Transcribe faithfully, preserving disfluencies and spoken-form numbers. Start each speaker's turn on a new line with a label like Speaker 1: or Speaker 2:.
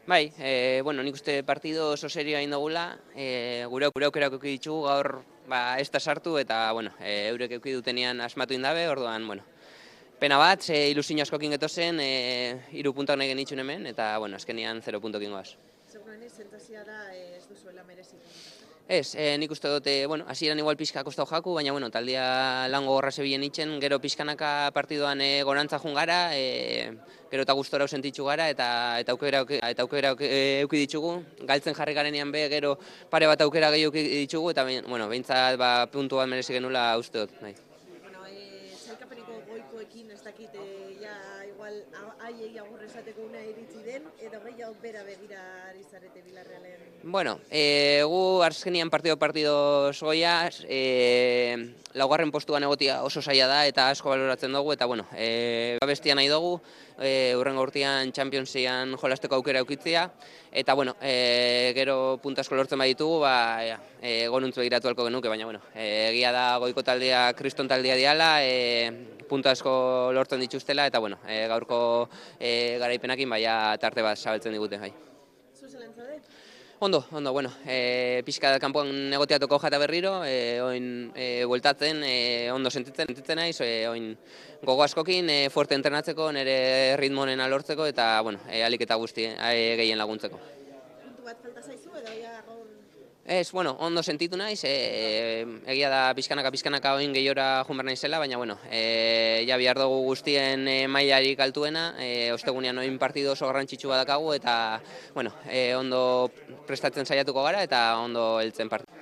Speaker 1: Bai, e, bueno, nik uste partido oso serioa egin dugula, e, gure gure aukerak eduki ditugu gaur ba, ez da sartu eta bueno, e, eurek eduki dutenean asmatu indabe, orduan, bueno, pena bat, ze ilusio askokin getozen, e, hiru puntak nahi genitxun hemen, eta bueno, azkenean zero puntokin goaz.
Speaker 2: Seguruenez, sentazioa da eh, ez duzuela merezitu.
Speaker 1: Ez, e, nik uste dute, bueno, hasieran igual pixka kostau jaku, baina bueno, taldia lan gogorra zebilen itzen, gero pixkanaka partidoan e, gorantza jun gara, e, gero eta gustora sentitzu gara, eta eta aukera eta aukera eduki ditugu, galtzen jarri garenean be, gero pare bat aukera gehi eduki ditugu, eta bueno, behintzat ba, puntu bat merezi genula uste dut. Bai.
Speaker 2: Bueno, eh, sailkapeneko goikoekin ez dakit, eh, ja, igual, haiei agur esateko una iritsi den, edo gehiago bera begira ari zarete Bilarrealen.
Speaker 1: Bueno, e, gu azkenian partido partido goiaz, e, laugarren postuan egotia oso zaila da eta asko baloratzen dugu, eta bueno, e, bestia nahi dugu, e, urrengo urtean Championsean jolasteko aukera eukitzea, eta bueno, e, gero puntasko lortzen baditugu, ba, e, gonuntzu egiratu halko genuke, baina bueno, e, egia da goiko taldea, kriston taldea diala, e, puntu asko lortzen dituztela, eta bueno, e, gaurko e, garaipenakin baina tarte bat zabaltzen digute. Bai.
Speaker 2: Zu zelan zaude?
Speaker 1: Ondo, ondo, bueno, e, pixka kanpoan negotiatuko jata berriro, e, oin e, bueltatzen, e, ondo sentitzen, sentitzen naiz, e, oin gogo askokin, e, fuerte entrenatzeko, nire ritmo honena lortzeko, eta, bueno, e, alik eta guzti e, gehien laguntzeko.
Speaker 2: Puntu bat falta zaizu edo ja gaur?
Speaker 1: Ez, bueno, ondo sentitu naiz, e, egia da pixkanaka pixkanaka oin gehiora jun behar naizela, baina, bueno, e, ja bihar dugu guztien e, mailarik altuena, e, ostegunean oin partido oso garrantzitsu badakagu, eta, bueno, e, ondo prestatzen saiatuko gara, eta ondo heltzen partidu.